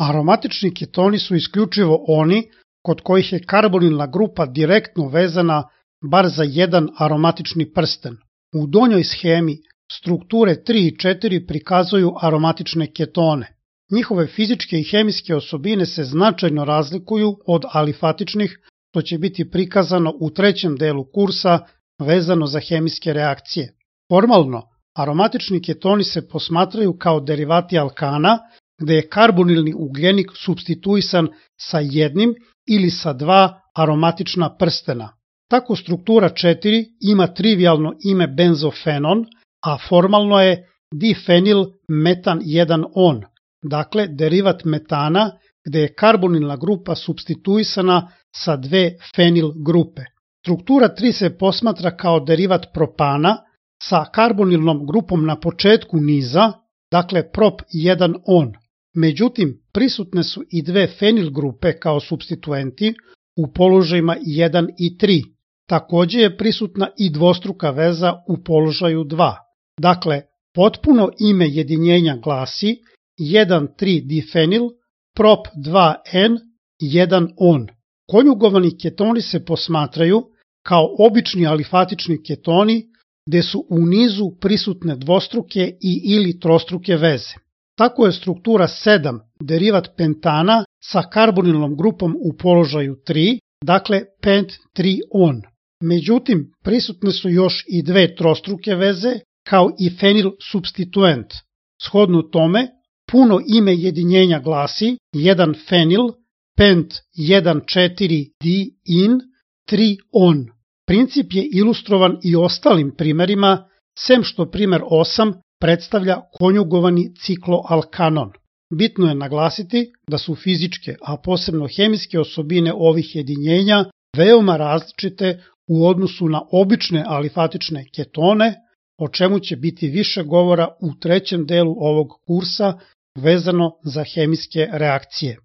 Aromatični ketoni su isključivo oni kod kojih je karbonilna grupa direktno vezana bar za jedan aromatični prsten. U donjoj shemi strukture 3 i 4 prikazuju aromatične ketone. Njihove fizičke i hemijske osobine se značajno razlikuju od alifatičnih, što će biti prikazano u trećem delu kursa vezano za hemijske reakcije. Formalno, aromatični ketoni se posmatraju kao derivati alkana, gde je karbonilni ugljenik supstituisan sa jednim ili sa dva aromatična prstena. Tako struktura 4 ima trivialno ime benzofenon, a formalno je difenil metan 1-on, dakle derivat metana gde je karbonilna grupa supstituisana sa dve fenil grupe. Struktura 3 se posmatra kao derivat propana sa karbonilnom grupom na početku niza, dakle prop 1-on. Međutim, prisutne su i dve fenil grupe kao supstituenti u položajima 1 i 3. Takođe je prisutna i dvostruka veza u položaju 2. Dakle, potpuno ime jedinjenja glasi 1,3-difenil prop 2N 1-on. Konjugovani ketoni se posmatraju kao obični alifatični ketoni gde su u nizu prisutne dvostruke i ili trostruke veze. Tako je struktura 7 derivat pentana sa karbonilnom grupom u položaju 3, dakle pent 3-on. Međutim, prisutne su još i dve trostruke veze kao i fenil supstituent. Shodno tome, puno ime jedinjenja glasi 1 fenil pent 1,4-di-in 3-on. Princip je ilustrovan i ostalim primerima, sem što primer 8 predstavlja konjugovani cikloalkanon. Bitno je naglasiti da su fizičke, a posebno hemijske osobine ovih jedinjenja veoma različite u odnosu na obične alifatične ketone, o čemu će biti više govora u trećem delu ovog kursa vezano za hemijske reakcije.